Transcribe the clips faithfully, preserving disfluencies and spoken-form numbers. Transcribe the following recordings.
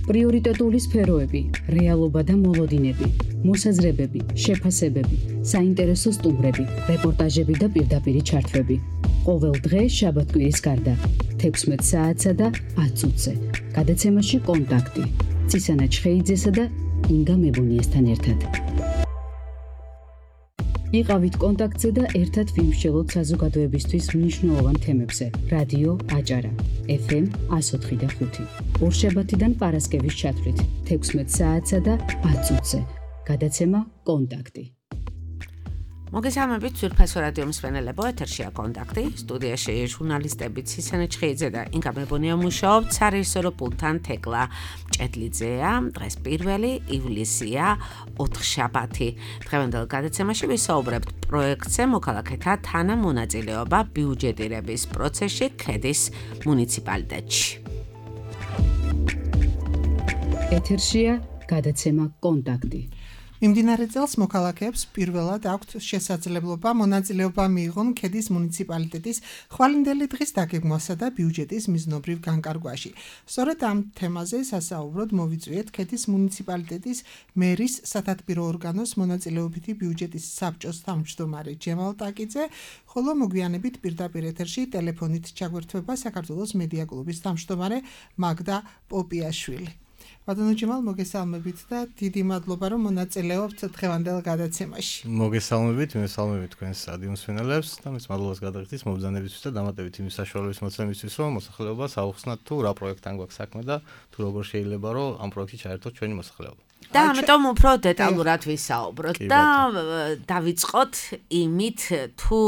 პრიორიტეტული სფეროები, რეალობა და მოლოდინები, მოსაზრებები, შეფასებები, საინტერესო სტუმრები, რეპორტაჟები და პირდაპირი ჩართვები. ყოველ დღე შაბათ-კვირის გარდა, თექვსმეტ საათსა და ათ წუთზე. გადაცემაში კონტაქტი. ცისანა ჩხეიძესა და ინგა მებუნიესთან ერთად. იყავით კონტაქტზე და ერთად ვიმსჯელოთ საზოგადოებისთვის მნიშვნელოვან თემებზე. რადიო აჭარა, ეფ ემ εκατო ოთხი და ხუთი. ორშაბათიდან პარასკევის ჩათვლით, თექვსმეტ საათსა და ათ წუთზე. გადაცემა კონტაქტი. მოგესალმებით ძვირფასო რადიო მსმენელებო, ეთერშია კონტაქტი, სტუდიაში ჟურნალისტები ცისანა ჩხეიძე და ინგა მებუნია მუშაობთ, სარეჟისორო პულტთან თეკლა ჭედლიძეა. დღეს პირველი ივლისია, ოთხშაბათი. დღევანდელ გადაცემაში ვისაუბრებთ პროექტზე მოქალაქეთა თანამონაწილეობა ბიუჯეტირების პროცესში ქედის მუნიციპალიტეტში. ეთერშია გადაცემა კონტაქტი. მიმდინარე წელს მოქალაქეებს პირველად აქვთ შესაძლებლობა მონაწილეობა მიიღონ ქედის მუნიციპალიტეტის ხვალინდელი დღის დაგეგმვასა და ბიუჯეტის მიზნობრივ განკარგვაში. სწორედ ამ თემაზე სასაუბროდ მოვიწვიეთ ქედის მუნიციპალიტეტის მერის სათათბირო ორგანოს მონაწილეობითი ბიუჯეტის საბჭოს თავმჯდომარე ჯემალ ტაკიძე, ხოლო მოგვიანებით პირდაპირ ეთერში ტელეფონით ჩაგვერთვება საქართველოს მედია კლუბის თავმჯდომარე მაგდა პოპიაშვილი. ბატონო ჯემალ, მოგესალმებით და დიდი მადლობა, რომ მონაწილეობთ დღევანდელ გადაცემაში. მოგესალმებით, მესალმებით თქვენს რადიო მსმენელებს და მეც მადლობას გადაგიხდით მობრძანებისთვის და დამატებით იმის საშუალების მოცემისთვის, რომ მოსახლეობას აუხსნათ თუ რა პროექტთან გვაქვს საქმე და თუ როგორ შეიძლება რომ ამ პროექტში ჩაერთოთ ჩვენი მოსახლეობა. და ამიტომ უფრო დეტალურად ვისაუბროთ და დავიწყოთ იმით, თუ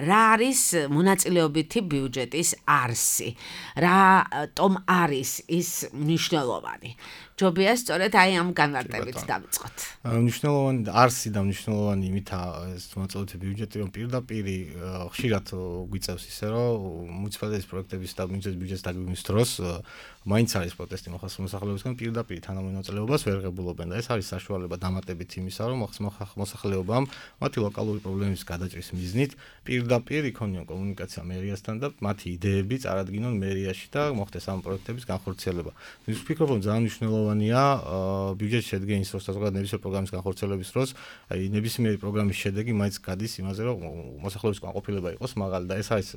რა არის მონაწილეობითი ბიუჯეტის არსი, რატომ არის ის მნიშვნელოვანი. ჯობია სწორედ აი ამ განმარტებით დავიწყოთ. მნიშვნელოვანი არსი და მნიშვნელოვანი იმითაა ეს მონაწილეობითი ბიუჯეტი, რომ პირდაპირ ხშირად გვიწევს ისე, რომ მუნიციპალიტეტის პროექტების და ბიუჯეტის დაგეგმვის დროს მაინც არის პროტესტი მოსახლეობისგან პირდაპირ თანამონაწილეობას ვერ ღებულობენ და ეს არის საშუალება დამატებით იმისა, რომ მოსახლეობამ მათი ლოკალური პრობლემების გადაჭრის მიზნით პირდაპირ იქონიონ კომუნიკაცია მერიასთან და მათი იდეები წარადგინონ მერიაში და მოხდეს ამ პროექტების განხორციელება. ის ვფიქრობ, რომ ძალიან მნიშვნელოვანია ბიუჯეტის შედგენის დროს და ზოგადად ნებისმიერი პროგრამის განხორციელების დროს, აი ნებისმიერი პროგრამის შედეგი მაინც გადის იმაზე, რომ მოსახლეობის კმაყოფილება იყოს მაღალი და ეს არის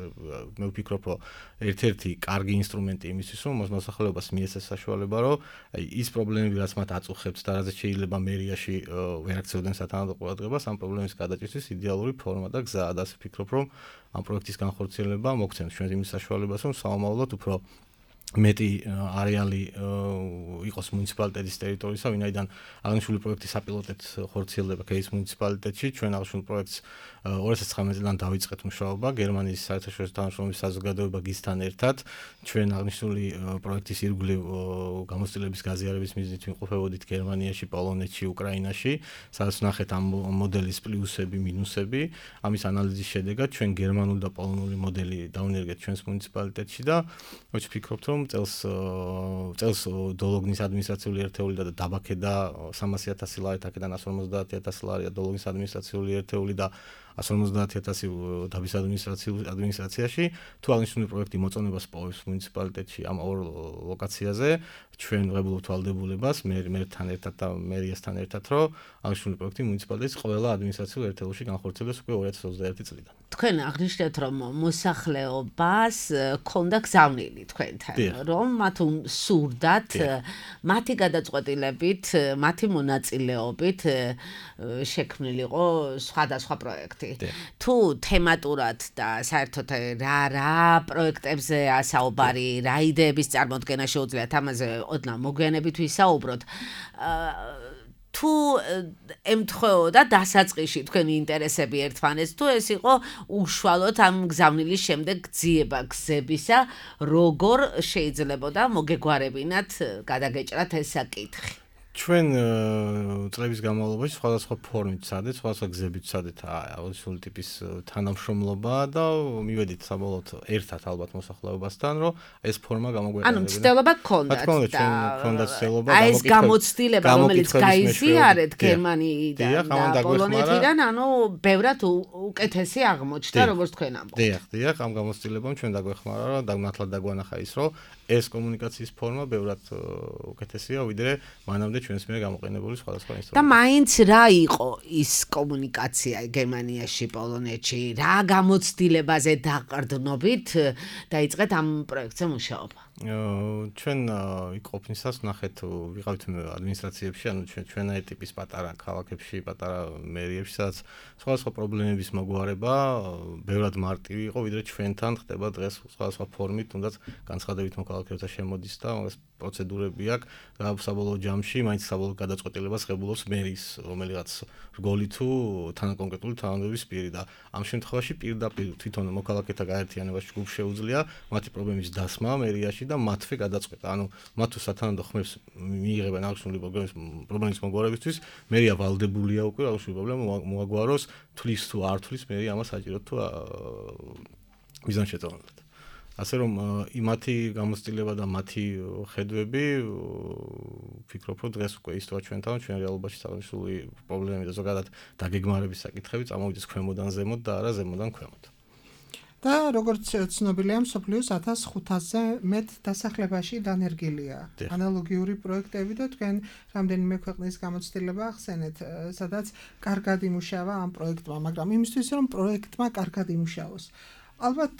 მე ვფიქრობ, რომ ერთ-ერთი კარგი ინსტრუმენტი იმისთვის, რომ მოსახლეობას მიეცეს საშუალება, რომ აი ის პრობლემები, რაც მათ აწუხებს და რაზეც შეიძლება მერიაში ვერ აქცევდნენ სათანადო ყურადღებას, ამ პრობლემის გადაჭრისთვის იდეალური ფორმა და გზაა და ასე ვფიქრობ, რომ ამ პროექტის განხორციელება მოგცემს ჩვენ იმის საშუალებას, რომ საომავლოდ უფრო მეტი არეალი იყოს მუნიციპალიტეტის ტერიტორიისა, ვინაიდან აღნიშნული პროექტი საპილოტეთ ხორციელდება ქედის მუნიციპალიტეტში. ჩვენ აღნიშნულ პროექტს ორი ათას ცხრამეტი წლიდან დავიწყეთ მუშაობა გერმანიის საერთაშორისო თანამშრომლობის საზოგადოება გისთან ერთად. ჩვენ აღნიშნული პროექტის ირგვლივ გამოცდილების გაზიარების მიზნით ვიმყოფებოდით გერმანიაში, პოლონეთში, უკრაინაში, სადაც ვნახეთ ამ მოდელის პლუსები, მინუსები. ამის ანალიზის შედეგად ჩვენ გერმანული და პოლონური მოდელი დავნერგეთ ჩვენს მუნიციპალიტეტში და ვფიქრობთ, რომ წელს წელს დოლოგნის ადმინისტრაციული ერთეული და დაბაქედა სამასი ათასი ლარი, აქედან ასი жүз ორმოცდაათი ათასი ლარია დოლოგნის ადმინისტრაციული ერთეული და ასი жүз ორმოცდაათი ათასი დაბის ადმინისტრაციაში. თუ აღნიშნული პროექტი მოწონებას პოვებს მუნიციპალიტეტში ამ ორ ლოკაციაზე, ჩვენ ვღებულობთ ვალდებულებას მერთან ერთად და მერიასთან ერთად, რომ აღნიშნული პროექტი მუნიციპალიტეტის ყველა ადმინისტრაციულ ერთეულში განხორციელდეს უკვე ორი ათას ოცდაერთი წლიდან. თქვენ აღნიშნეთ, რომ მოსახლეობას ქონდა გზავნილი თქვენთან, რომ მათ სურდათ მათი გადაწყვეტილებით, მათი მონაწილეობით შექმნილიყო სხვადასხვა პროექტი. თუ თემატურად და საერთოდ რა რა პროექტებზეა საუბარი, რა იდეების წარმოდგენა შეუძლიათ ამაზე ოდნავ მოგვიანებით ვისაუბროთ. თუ ემთხვეოდა დასაწყისში თქვენი ინტერესები ერთმანეთს, თუ ეს იყო უშუალოდ ამ გზავნილის შემდეგ გძიება გზებისა, როგორ შეიძლებოდა მოგეგვარებინათ გადაგეჭრათ ეს საკითხი? ჩვენ წლების განმავლობაში სხვადასხვა ფორმით ვცადეთ, სხვადასხვა გზებით ვცადეთ აუდიალური ტიპის თანამშრომლობა და მივედით საბოლოოდ ერთად ალბათ მოსახლეობასთან, რომ ეს ფორმა გამოგვეყენებინა. ანუ ცდილობა გქონდათ და გქონდათ ცდილობა აი ეს გამოცდილება, რომელიც გაიზიარეთ გერმანიიდან და პოლონეთიდან, ანუ ბევრად უკეთესი აღმოჩნდა, როგორც თქვენ ამბობთ. დიახ, დიახ, ამ გამოცდილებამ ჩვენ დაგვეხმარა, რომ დაგნათლად დაგვანახა ის, რომ ეს კომუნიკაციის ფორმა ბევრად უკეთესია, ვიდრე მანამდე ჩვენს მიერ გამოყენებული სხვადასხვა ინსტრუმენტები. და მაინც რა იყო ის კომუნიკაცია გერმანიაში, პოლონეთში, რა გამოცდილებაზე დაყრდნობით დაიწყეთ ამ პროექტზე მუშაობა? ჩვენ იქ ყოფნისას ნახეთ ვიყავით ადმინისტრაციებში, ანუ ჩვენ ჩვენაი ტიპის პატარა ქალაქებში, პატარა მერიებში, სადაც სხვადასხვა პრობლემების მოგვარება ბევრად მარტივი იყო, ვიდრე ჩვენთან ხდება დღეს სხვადასხვა ფორმით, თუნდაც განცხადებით მოქალაქეთა შემოდის და ეს პროცედურები აქვს და საბოლოო ჯამში მაინც საბოლოო გადაწყვეტილებას ღებულობს მერის რომელიღაც რგოლი თუ თანაკონკრეტული თანამდებობის პირი და ამ შემთხვევაში პირდაპირ თვითონ მოქალაქეთა გაერთიანებას ჯგუფს შეუძლია მათი პრობლემის დასმა მერიაში და მათვე გადაწყვეტა. ანუ მათ თუ სათანადო ხმებს მიიღებენ აღნიშნული პრობლემის პრობლემის მოგვარებისთვის, მერია ვალდებულია უკვე აღნიშნული პრობლემა მოაგვაროს, თulis თუ არ თulis, მერი ამას საჭიროდ თუ მიზანშეწონილად. ასე რომ იმათი გამოცდილება და მათი ხედვები ვფიქრობ, რომ დღეს უკვე ისწორა ჩვენთან, ჩვენ რეალობაში აღნიშნული პრობლემები და ზოგადად დაგეგმარების საკითხები წამოვიდეს ქვემოდან ზემოთ და არა ზემოდან ქვემოთ. და როგორც ცნობილია, მსოფლიოს ათას ხუთასზე მეტ დასახლებაში დანერგილია ანალოგიური პროექტები და თქვენ რამდენიმე ქვეყნის გამოცდილება ახსენეთ, სადაც კარგად იმუშავა ამ პროექტმა, მაგრამ იმისთვის რომ პროექტმა კარგად იმუშაოს. ალბათ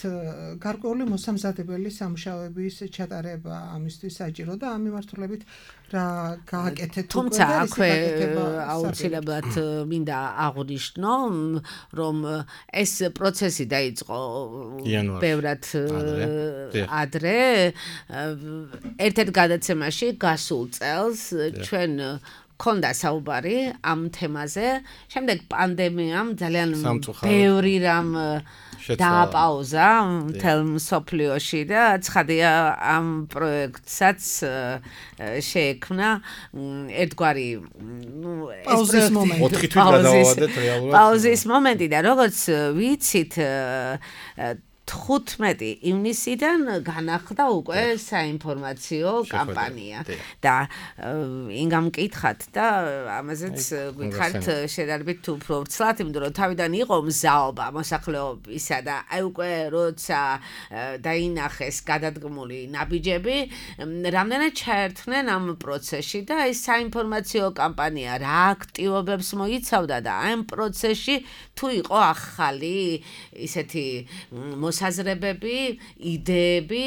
გარკვეული მოსამზადებელი სამუშაოების ჩატარება ამისთვის საჭირო და ამ მიმართულებით რა გააკეთეთ უკვე თუმცა აქვე აუცილებლად მინდა აღვნიშნო, რომ ეს პროცესი დაიწყო ბევრად ადრე. ერთ-ერთ გადაცემაში გასულ წელს ჩვენ ქონდა საუბარი ამ თემაზე, შემდეგ პანდემიამ ძალიან ბევრი რამ დააპაუზა მთელ მსოფლიოში და ცხადია ამ პროექტსაც შეექმნა ერთგვარი პაუზის მომენტი. ოთხი თვით გადავადეთ რეალურად. პაუზის მომენტი და როგორც ვიცით თხუთმეტი ივნისიდან განახლდა უკვე საინფორმაციო კამპანია და ინგამ მკითხათ და ამაზეც გითხარით შედარებით თუ უფრო ვრცლად, იმიტომ რომ თავიდან იყო მზაობა მოსახლეობისა და აი უკვე როცა დაინახეს გადადგმული ნაბიჯები, რამდენად ჩაერთნენ ამ პროცესში და ეს საინფორმაციო კამპანია რა აქტივობებს მოიცავდა და ამ პროცესში თუ იყო ახალი ისეთი საზრებები, იდეები,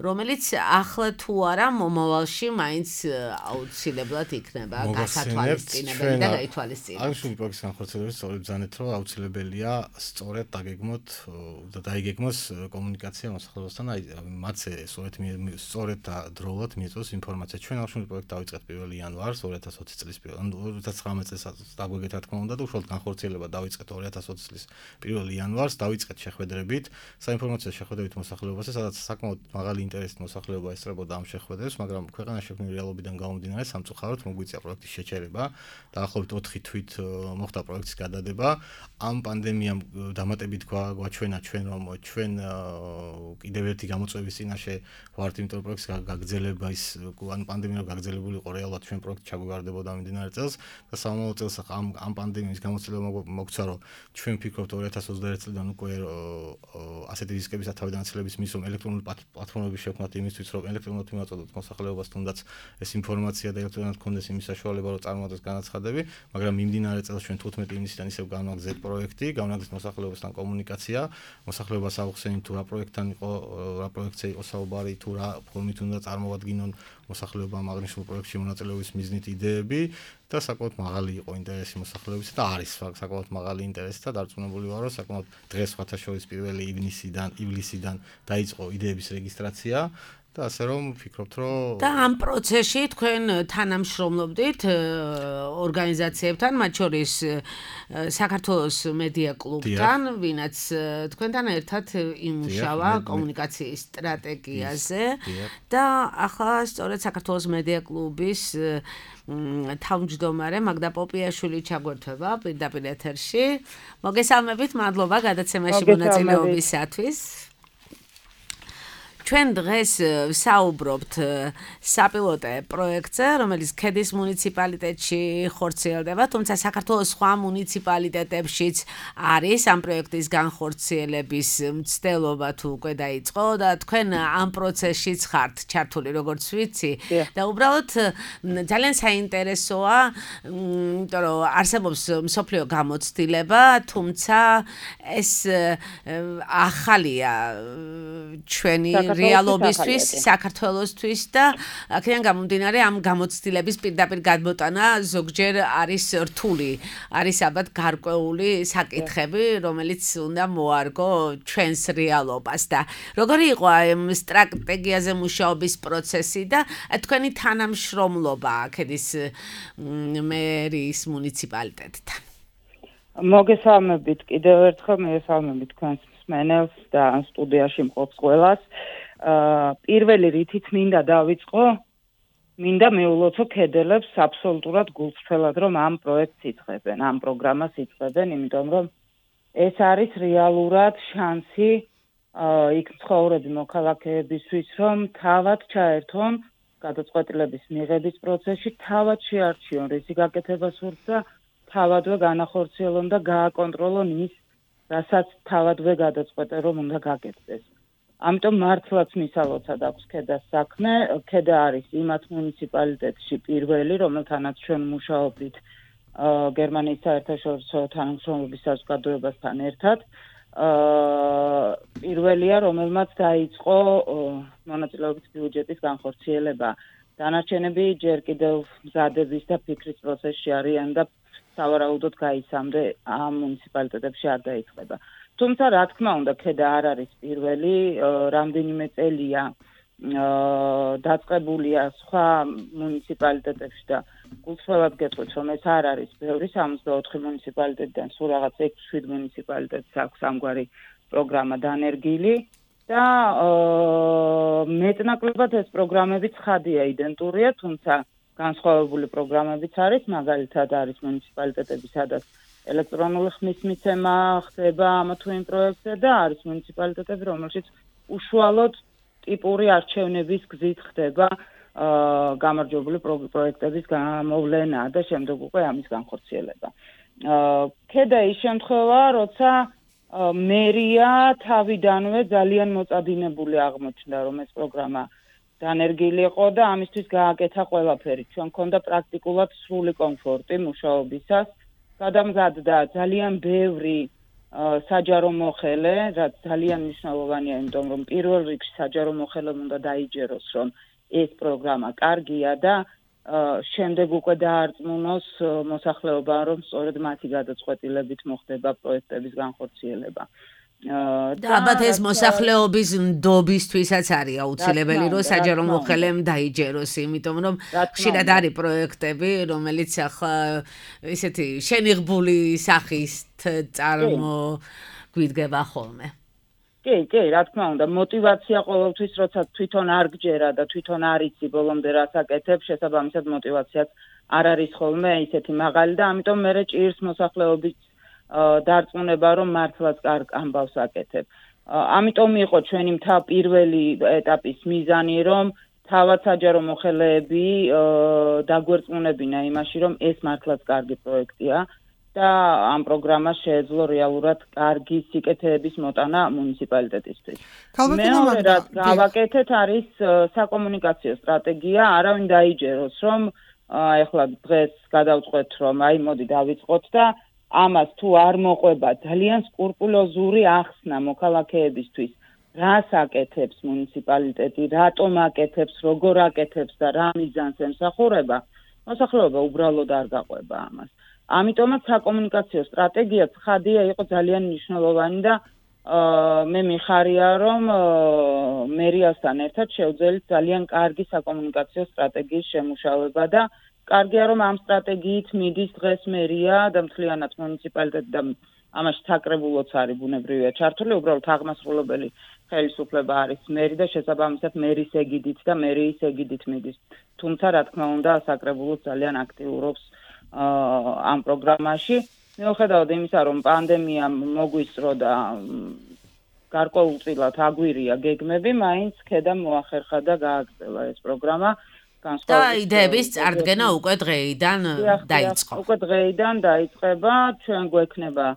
რომელიც ახლა თუ არა მომავალში მაინც აუცილებლად იქნება გასათვალისწინებელი და გაითვალისწინებელია. აღნიშნული პროექტის განხორციელების სწორედ ბრძანეთ, რომ აუცილებელია სწორედ დაგეგმოთ და დაიგეგმოს კომუნიკაცია მოსახლეობასთან, აი მათზე სწორედ სწორედ და დროულად მიეწოს ინფორმაცია. ჩვენ აღნიშნული პროექტი დავიწყეთ პირველი იანვარს ორი ათას ოცი წლის პირველ ორი ათას ცხრამეტ წელს დაგვეგეთ რა თქმა უნდა და უშუალოდ განხორციელება დავიწყეთ ორი ათას ოცი წლის პირველი იანვარს, დავიწყეთ შეხვედრებით საინფორმაციო შეხვედრებით მოსახლეობასთან, სადაც საკმაოდ მაღალი ინტერესით მოსახლეობა ესწრებოდა ამ შეხვედრებს, მაგრამ ქვეყანაში შექმნილი რეალობიდან გამომდინარე სამწუხაროდ მოგვიწია პროექტის შეჩერება. დაახლოებით ოთხი თვით მოხდა პროექტის გადადება. ამ პანდემიამ დამატებით გვაჩვენა ჩვენ, რომ ჩვენ კიდევ ერთი გამოწვევის წინაშე ვართ, იმიტომ რომ პროექტის გაგრძელება ის ან პანდემია გაგრძელებული იყო რეალურად ჩვენ პროექტი ჩაგვიგარდებოდა მიმდინარე წელს და სამომავლო წელს ამ ამ პანდემიის გამოცდილება მოგვცა, რომ ჩვენ ვფიქრობთ ორი ათას ოცდაერთი წლიდან უკვე ასეთი რისკების თავდანაცვლების მისვამ ელექტრონული პლატფორმები შევქმნათ იმისთვის, რომ ელექტრონულად მივაწოდოთ მოსახლეობას, თუნდაც ეს ინფორმაცია და ელექტრონულად კონდეს იმის საშუალება, რომ წარმოადგენს განაცხადები, მაგრამ მიმდინარე წელს ჩვენ თხუთმეტი ივნისიდან ისევ განვაგზავნეთ პროექტი, განვაგზავნეთ მოსახლეობასთან კომუნიკაცია, მოსახლეობას აუხსენით თუ რა პროექტთან იყო, რა პროექტზე იყო საუბარი, თუ რა ფორმით უნდა წარმოვადგინონ მოსახლეობამ აღნიშნულ პროექტში მონაწილეობის მიზნით იდეები და საკმაოდ მაღალი იყო ინტერესი მოსახლეობის და არის საკმაოდ მაღალი ინტერესი და დარწმუნებული ვარ, რომ საკმაოდ დღეს სხვათა შორის პირველი ივნისიდან ივლისიდან დაიწყო იდეების რეგისტრაცია და ასე რომ ვფიქრობთ, რომ და ამ პროცესში თქვენ თანამშრომლობდით ორგანიზაციებთან, მათ შორის საქართველოს მედია კლუბთან, ვინაც თქვენთან ერთად იმუშავა კომუნიკაციის სტრატეგიაზე და ახლა სწორედ საქართველოს მედია კლუბის თავმჯდომარე მაგდა პოპიაშვილი ჩაგვერთვება პირდაპირ ეთერში. მოგესალმებით, მადლობა გადაცემაში მონაწილეობისათვის. ჩვენ დღეს ვსაუბრობთ საპილოტე პროექტზე, რომელიც ქედის მუნიციპალიტეტში ხორციელდება, თუმცა საქართველოს სხვა მუნიციპალიტეტებშიც არის ამ პროექტის განხორციელების მცდელობა თუ უკვე დაიწყო და თქვენ ამ პროცესშიც ხართ ჩართული, როგორც ვიცი. და უბრალოდ ძალიან საინტერესოა, იმიტომ რომ არსებობს მსოფლიო გამოცდილება, თუმცა ეს ახალია ჩვენი რეალობისთვის, საქართველოსთვის და აქედან გამომდინარე ამ გამოცდილების პირდაპირ გადმოტანა ზოგჯერ არის რთული, არის ალბათ გარკვეული საკითხები, რომელიც უნდა მოარგო ჩვენს რეალობას და როგორი იყო ამ სტრატეგიაზე მუშაობის პროცესი და თქვენი თანამშრომლობა ქედის მერის მუნიციპალიტეტთან. მოგესალმებით კიდევ ერთხელ, მოგესალმებით თქვენს მსმენელს და სტუდიაში მყოფს ყველას. პირველი რითიც მინდა დავიწყო, მინდა მეულოცო ქედელებს აბსოლუტურად გულწრფელად, რომ ამ პროექტს იწყებენ, ამ პროგრამას იწყებენ, იმიტომ რომ ეს არის რეალურად შანსი იქ მცხოვრები მოქალაქეებისთვის, რომ თავად ჩაერთონ გადაწყვეტილების მიღების პროცესში, თავად შეარჩიონ რისი გაკეთება სურს და თავადვე განახორციელონ და გააკონტროლონ ის, რასაც თავადვე გადაწყვეტენ, რომ უნდა გაკეთდეს. ამიტომ მართლაც მისალოცად აქვს ქედას საქმე. ქედა არის იმათ მუნიციპალიტეტში პირველი, რომელთანაც ჩვენ მუშაობდით გერმანიის საერთაშორისო თანამშრომლობის საზოგადოებასთან ერთად. პირველია, რომელმაც დაიწყო მონაწილეობის ბიუჯეტის განხორციელება. დანარჩენები ჯერ კიდევ მზადების და ფიქრის პროცესში არიან და სავარაუდოდ გაიცამდე ამ მუნიციპალიტეტებში არ დაიწყება. თუმცა რა თქმა უნდა, ქედა არ არის პირველი, რამდენიმე წელია დაწყებულია სხვა მუნიციპალიტეტებში და გულწრფელად გეტყვით, რომ ეს არ არის ბევრი, სამოცდაოთხი მუნიციპალიტეტიდან სულ რაღაც ექვს შვიდ მუნიციპალიტეტს აქვს ამგვარი პროგრამა დანერგილი და მეტნაკლებად ეს პროგრამები ცხადია, იდენტურია, თუმცა განსხვავებული პროგრამებიც არის, მაგალითად არის მუნიციპალიტეტები, სადაც ელექტრონული ხმის მიცემა ხდება ამ თუ იმ პროექტზე და არის მუნიციპალიტეტები, რომელშიც უშუალოდ ტიპური არჩევნების გზით ხდება გამარჯვებული პროექტების გამოვლენა და შემდეგ უკვე ამის განხორციელება. ქედა ის შემთხვევაა, როცა მერია თავიდანვე ძალიან მოწადინებული აღმოჩნდა, რომ ეს პროგრამა დანერგილი იყო და ამისთვის გააკეთა ყველაფერი. ჩვენ მქონდა პრაქტიკულად სრული კომფორტი მუშაობისას. გადამზადდა ძალიან ბევრი საჯარო მოხელე, რაც ძალიან მნიშვნელოვანია, იმიტომ რომ პირველ რიგში საჯარო მოხელემ უნდა დაიჯეროს, რომ ეს პროგრამა კარგია და შემდეგ უკვე დაარწმუნოს მოსახლეობა, რომ სწორედ მათი გადაწყვეტილებით მოხდება პროექტების განხორციელება. და ალბათ ეს მოსახლეობის ნდობისთვისაც არის აუცილებელი, რომ საჯარო მოხელემ დაიჯეროს, იმიტომ რომ ხშირად არის პროექტები, რომელიც ახლა ისეთი შენიღბული სახით წარმოგვიდგება ხოლმე. კი, კი, რა თქმა უნდა, мотиваცია ყოველთვის, როცა თვითონ არ გჯერა და თვითონ არ იცი ბოლომდე რას აკეთებ, შესაბამისად мотиваციაც არ არის ხოლმე ისეთი მაღალი და ამიტომ მე ჭირს მოსახლეობის დარწმუნება, რომ მართლაც კარგ ამბავს აკეთებ. ამიტომ იყო ჩვენი მთა პირველი ეტაპის მიზანი, რომ თავად საჯარო მოხელეები დაგვერწმუნებინა იმაში, რომ ეს მართლაც კარგი პროექტია და ამ პროგრამას შეეძლო რეალურად კარგი სიკეთეების მოტანა მუნიციპალიტეტისთვის. მეორე რაც გავაკეთეთ არის საკომუნიკაციო სტრატეგია, არავინ დაიჯეროს, რომ ეხლა დღეს გადავწყვეტ, რომ აი მოდი დავიწყოთ და ამას თუ არ მოყვება ძალიან სკრუპულოზური ახსნა მოქალაქეებისთვის, რას აკეთებს მუნიციპალიტეტი, რატომ აკეთებს, როგორ აკეთებს და რა მიზანს ემსახურება, მოსახლეობა უბრალოდ არ გაყვება ამას. ამიტომაც საკომუნიკაციო სტრატეგია ცხადია იყო ძალიან მნიშვნელოვანი და მე მიხარია რომ მერიასთან ერთად შევძელით ძალიან კარგი საკომუნიკაციო სტრატეგიის შემუშავება და კარგია რომ ამ სტრატეგიით მიდის დღეს მერია და მთლიანად მუნიციპალიტეტი და ამაში საკრებულოც არის ბუნებრივია ჩართული, უბრალოდ აღმასრულებელი ხელისუფლება არის მერი და შესაბამისად მერის ეგიდით და მერიის ეგიდით მიდის. თუმცა რა თქმა უნდა საკრებულოც ძალიან აქტიურობს ამ პროგრამაში. მიუხედავად იმისა, რომ პანდემია მოგვისწრო და გარკვეულწილად აგვირია გეგმები, მაინც ქედამ მოახერხა და გააგრძელა ეს პროგრამა. და იდეების წარდგენა უკვე დღეიდან დაიწყო. უკვე დღეიდან დაიწყება, ჩვენ გვექნება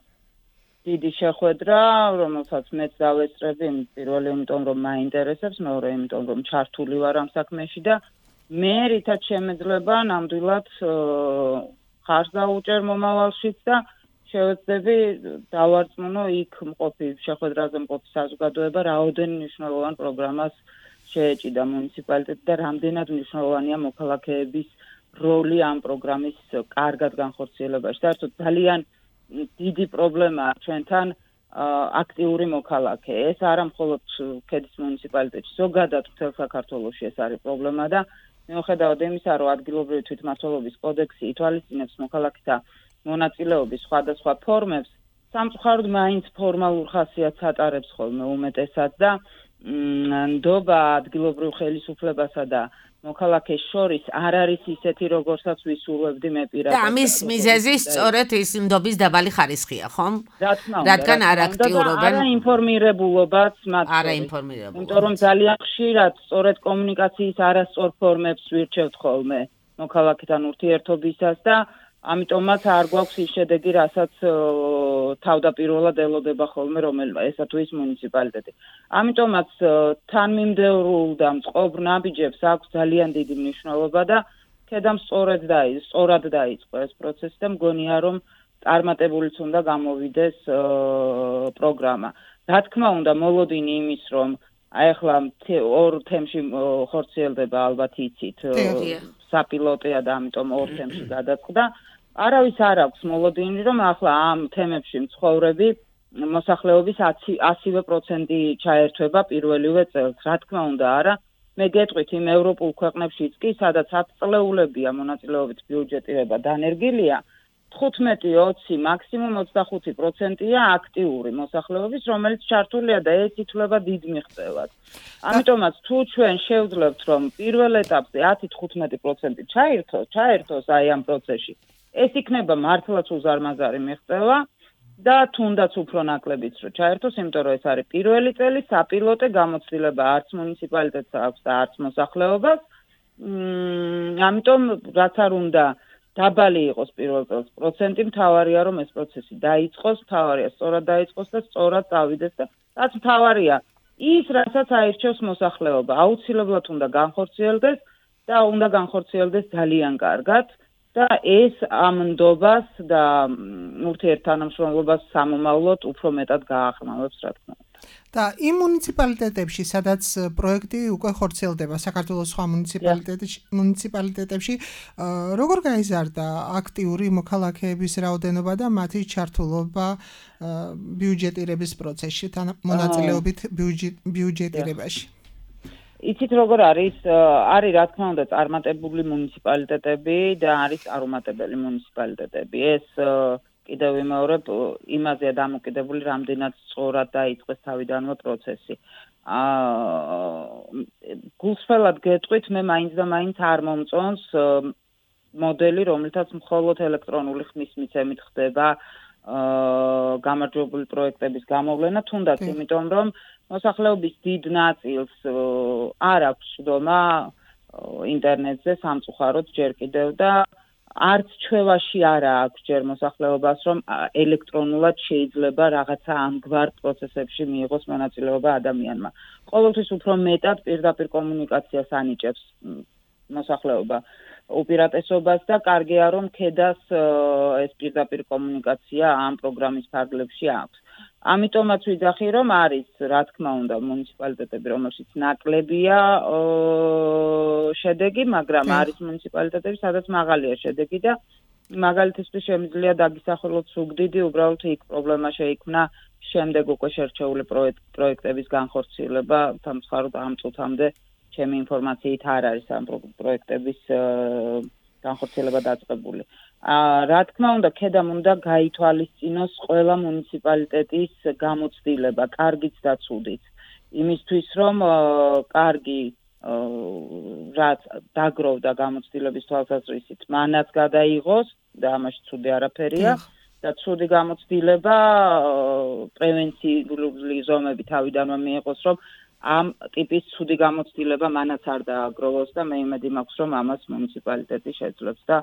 დიდი შეხვედრა, რომელსაც მეც დავესწრები, პირველი იმიტომ რომ მაინტერესებს, მეორე იმიტომ რომ ჩართული ვარ ამ საქმეში და მე რითაც შემეძლება ნამდვილად ხარს დაუჭერ მომავალშიც და შევეცდები დავარწმუნო იქ მყოფი შეხვედრაზე მყოფი საზოგადოება რაოდენ მნიშვნელოვან პროგრამას შეეჭიდა მუნიციპალიტეტი და რამდენად მნიშვნელოვანია მოქალაქეების როლი ამ პროგრამის კარგად განხორციელებაში. საერთოდ ძალიან დიდი პრობლემაა ჩვენთან აქტიური მოქალაქე. ეს არა მხოლოდ ქედის მუნიციპალიტეტში, ზოგადად მთელ საქართველოში ეს არის პრობლემა და მიუხედავად იმისა, რომ ადგილობრივი თვითმმართველობის კოდექსი ითვალისწინებს მოქალაქეთა მონაწილეობის სხვადასხვა ფორმებს, სამწუხაროდ მაინც ფორმალურ ხასიათს ატარებს ხოლმე უმეტესად და ნდობა ადგილობრივ ხელისუფლებასა და მოქალაქეს შორის არ არის ისეთი, როგორცაც ვისურვებდი მე პირადად. და ამის მიზეზი სწორედ ის ნდობის დაბალი ხარისხია, ხომ? რა თქმა უნდა. რადგან არ აქტიურობენ. არა ინფორმირებულობაც მათ. არა ინფორმირებულობაც. იმიტომ რომ ძალიან ხშირად სწორედ კომუნიკაციის არასწორ ფორმებს ვირჩევთ ხოლმე მოქალაქეთან ურთიერთობისას და ამიტომაც არ გვაქვს ის შედეგი, რასაც თავდაპირველად ელოდება ხოლმე რომელმა ესა თუ ის მუნიციპალიტეტი. ამიტომაც თანმიმდევრულ და მწყობრ ნაბიჯებს აქვს ძალიან დიდი მნიშვნელობა და ქედამ სწორად დაიწყო, სწორად დაიწყო ეს პროცესი და მგონია რომ წარმატებულიც უნდა გამოვიდეს პროგრამა. რა თქმა უნდა, მოლოდინი იმის რომ აი ახლა ორ თემში ხორციელდება ალბათ იცით საპილოტეა და ამიტომ ორ თემში გადაწყდა. არავის არ აქვს მოლოდინი რომ ახლა ამ თემებში მცხოვრები მოსახლეობის ასივე პროცენტი ჩაერთვება პირველივე წელს. რა თქმა უნდა არა, მე გეტყვით იმ ევროპულ ქვეყნებშიც კი, სადაც ათწლეულებია მონაწილეობით ბიუჯეტირება დანერგილია, თხუთმეტი ოცი მაქსიმუმ ოცდახუთი პროცენტია აქტიური მოსახლეობის, რომელიც ჩართულია და ეს ითვლება დიდ მიღწევად. ამიტომაც თუ ჩვენ შევძლებთ რომ პირველ ეტაპზე ათი თხუთმეტი პროცენტი ჩაერთოს, ჩაერთოს აი ამ პროცესში, ეს იქნება მართლაც უზარმაზარი მიღწევა და თუნდაც უფრო ნაკლებიც რომ ჩაერთოს, იმიტომ რომ ეს არის პირველი წელი საპილოტე გამოცდილება არც მუნიციპალიტეტს აქვს და არც მოსახლეობას. ამიტომ რაც არ უნდა დაბალი იყოს პირველ წელს პროცენტი, მთავარია რომ ეს პროცესი დაიწყოს, მთავარია სწორად დაიწყოს და სწორად წავიდეს და რაც მთავარია ის, რასაც აირჩევს მოსახლეობა, აუცილებლად უნდა განხორციელდეს და უნდა განხორციელდეს ძალიან კარგად და ეს ამ ნდობას და ურთიერთთანამშრომლობას სამომავლოდ უფრო მეტად გააღრმავებს, რა თქმა უნდა. და იმ მუნიციპალიტეტებში, სადაც პროექტი უკვე ხორციელდება, საქართველოს სხვა მუნიციპალიტეტებში, როგორ გაიზარდა აქტიური მოქალაქეების რაოდენობა და მათი ჩართულობა ბიუჯეტირების პროცესში, მონაწილეობით ბიუჯეტირებაში? იცით როგორ არის, არის რა თქმა უნდა წარმატებული მუნიციპალიტეტები და არის არუმატებელი მუნიციპალიტეტები. ეს კიდევ ვიმეორებ, იმაზეა დამოკიდებული, რამდენად სწორად დაიწყეს თავიდანვე პროცესი. გულსრველად გეტყვით, მე მაინც და მაინც არ მომწონს მოდელი, რომელთაც მხოლოდ ელექტრონული ხმის მიცემით ხდება გამარჯვებული პროექტების გამოვლენა, თუნდაც იმიტომ რომ მოსახლეობის დიდ ნაწილს არ აქვს შდომა ინტერნეტზე სამწუხაროდ ჯერ კიდევ და არც ჩვევაში არა აქვს ჯერ მოსახლეობას, რომ ელექტრონულად შეიძლება რაღაცა ამგვარ პროცესებში მიიღოს მონაწილეობა ადამიანმა. ყოველთვის უფრო მეტად პირდაპირ კომუნიკაციას ანიჭებს მოსახლეობა უპირატესობას და კარგია რომ ქედას ეს პირდაპირ კომუნიკაცია ამ პროგრამის ფარგლებში აქვს. ამიტომაც ვიძახი რომ არის, რა თქმა უნდა, მუნიციპალიტეტები, რომელშიც ნაკლებია შედეგი, მაგრამ არის მუნიციპალიტეტები, სადაც მაღალია შედეგი და მაგალითისთვის შემიძლია დაგისახელოთ სუგდიდი, უბრალოდ იქ პრობლემა შეიქმნა შემდეგ უკვე შერჩეული პროექტების განხორციელება, სამწუხაროდ ამ წუთამდე ჩემი ინფორმაციით არ არის ამ პროექტების განხორციელება დაწყებული. რა თქმა უნდა, ქედამ უნდა გაითვალისწინოს ყველა მუნიციპალიტეტის გამოცდილება, კარგიც და ცუდიც. იმისთვის, რომ კარგი რაც დაგროვდა გამოცდილების თვალსაზრისით, მანაც გადაიღოს და ამაში ცუდი არაფერია და ცუდი გამოცდილება პრევენციული ზომები თავიდანვე მიიღოს, რომ ამ ტიპის ცუდი გამოცდილება მანაც არ დააგროვოს და მე იმედი მაქვს, რომ ამას მუნიციპალიტეტი შეძლებს და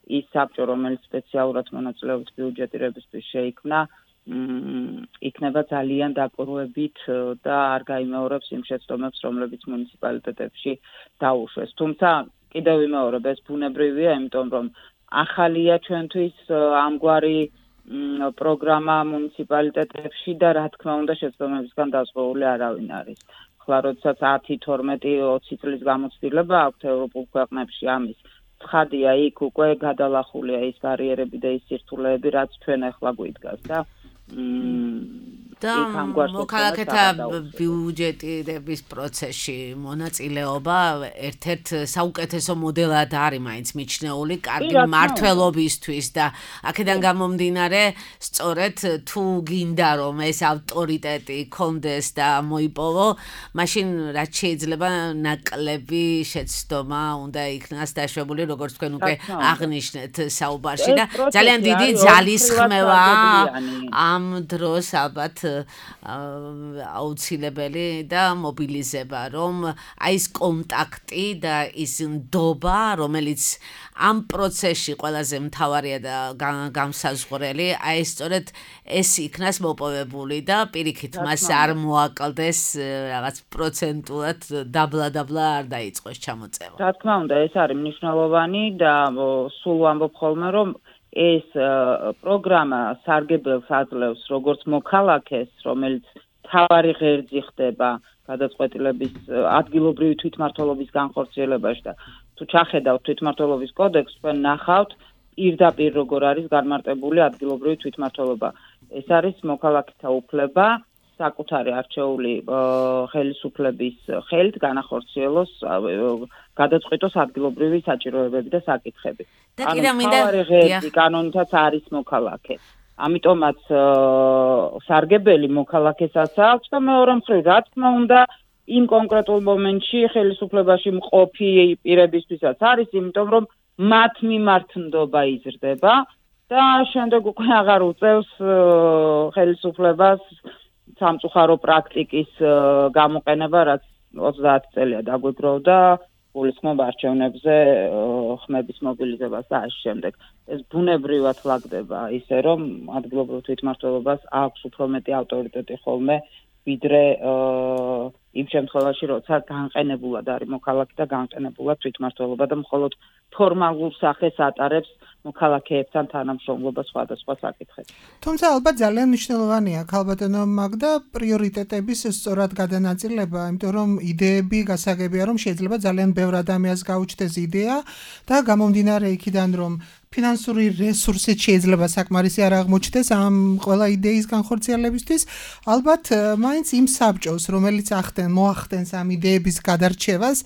ის საბჭო, რომელიც სპეციალურად მონაწილეობს ბიუჯეტირებისთვის შეიქმნა, იქნება ძალიან დაკვირვებით და არ გაიმეორებს იმ შეცდომებს, რომლებიც მუნიციპალიტეტებში დაუშვეს. თუმცა კიდევ ვიმეორებ, ეს ბუნებრივია, იმიტომ რომ ახალია ჩვენთვის ამგვარი პროგრამა მუნიციპალიტეტებში და რა თქმა უნდა შეცდომებისგან დაზღვეული არავინ არის. ხლა როდესაც ათი, თორმეტი, ოცი წლის გამოცდილება აქვთ ევროპულ ქვეყნებში ამის ცხადია, იქ უკვე გადალახულია ის ბარიერები და ის სირთულეები, რაც ჩვენ ახლა გვიდგას და და მოქალაქეთა ბიუჯეტირების პროცესში მონაწილეობა ერთ-ერთ საუკეთესო მოდელად არის მაინც მიჩნეული კარგი მმართველობისთვის და აქედან გამომდინარე სწორედ თუ გინდა რომ ეს ავტორიტეტი კონდეს და მოიპოვო, მაშინ რაც შეიძლება ნაკლები შეცდომა უნდა იქნას დაშვებული, როგორც თქვენ უკვე აღნიშნეთ საუბარში და ძალიან დიდი ძალისხმევა ამ დროს ალბათ აუცილებელი და მობილიზება, რომ აი ეს კონტაქტი და ის ნდობა, რომელიც ამ პროცესში ყველაზე მთავარია და გამსაზღვრელი, აი სწორედ ეს იქნას მოპოვებული და პირიქით მას არ მოაკლდეს რაღაც პროცენტულად დაბლა-დაბლა არ დაიწყოს ჩამოწევა. რა თქმა უნდა, ეს არის მნიშვნელოვანი და სულ ვამბობ ხოლმე, რომ ეს პროგრამა სარგებელს აძლევს როგორც მოქალაქეს, რომელიც თავარი ღერძი ხდება გადაწყვეტილების ადგილობრივი თვითმმართველობის განხორციელებაში და თუ ჩახედავთ თვითმმართველობის კოდექსს, თქვენ ნახავთ პირდაპირ როგორ არის განმარტებული ადგილობრივი თვითმმართველობა. ეს არის მოქალაქეთა უფლება საკუთარი არჩეული ხელისუფლების ხელით განახორციელოს გადაწყვეტოს ადგილობრივი საჭიროებები და საკითხები. ანუ თავარი ღერძი კანონითაც არის მოქალაქე. ამიტომაც სარგებელი მოქალაქესაც აქვს და მეორე მხრივ, რა თქმა უნდა, იმ კონკრეტულ მომენტში ხელისუფლებაში მყოფი პირებისთვისაც არის, იმიტომ რომ მათ მიმართ ნდობა იზრდება და შემდეგ უკვე აღარ უწევს ხელისუფლებას სამწუხარო პრაქტიკის გამოყენება, რაც ოცდაათი წელია დაგვიგროვდა გულისხმობ არჩევნებზე ხმების მობილიზებას და ამ შემდეგ. ეს ბუნებრივად ლაგდება ისე, რომ ადგილობრივ თვითმმართველობას აქვს უფრო მეტი ავტორიტეტი ხოლმე, ვიდრე იმ შემთხვევაში, როცა განყენებულად არის მოქალაქე და განყენებულად თვითმმართველობა და მხოლოდ ფორმალურ სახეს ატარებს მოქალაქეებთან თანამშრომლობა სხვადასხვა საკითხებში. თუმცა ალბათ ძალიან მნიშვნელოვანია ქალბატონო მაგდა პრიორიტეტების სწორად გადანაწილება, იმიტომ რომ იდეები გასაგებია, რომ შეიძლება ძალიან ბევრ ადამიანს გაუჩნდეს იდეა და გამომდინარე იქიდან, რომ ფინანსური რესურსით შეიძლება საკმარისი არ აღმოჩნდეს ამ ყველა იდეის განხორციელებისთვის, ალბათ მაინც იმ საბჭოს, რომელიც ახდენ მოახდენს ამ იდეების გადარჩევას,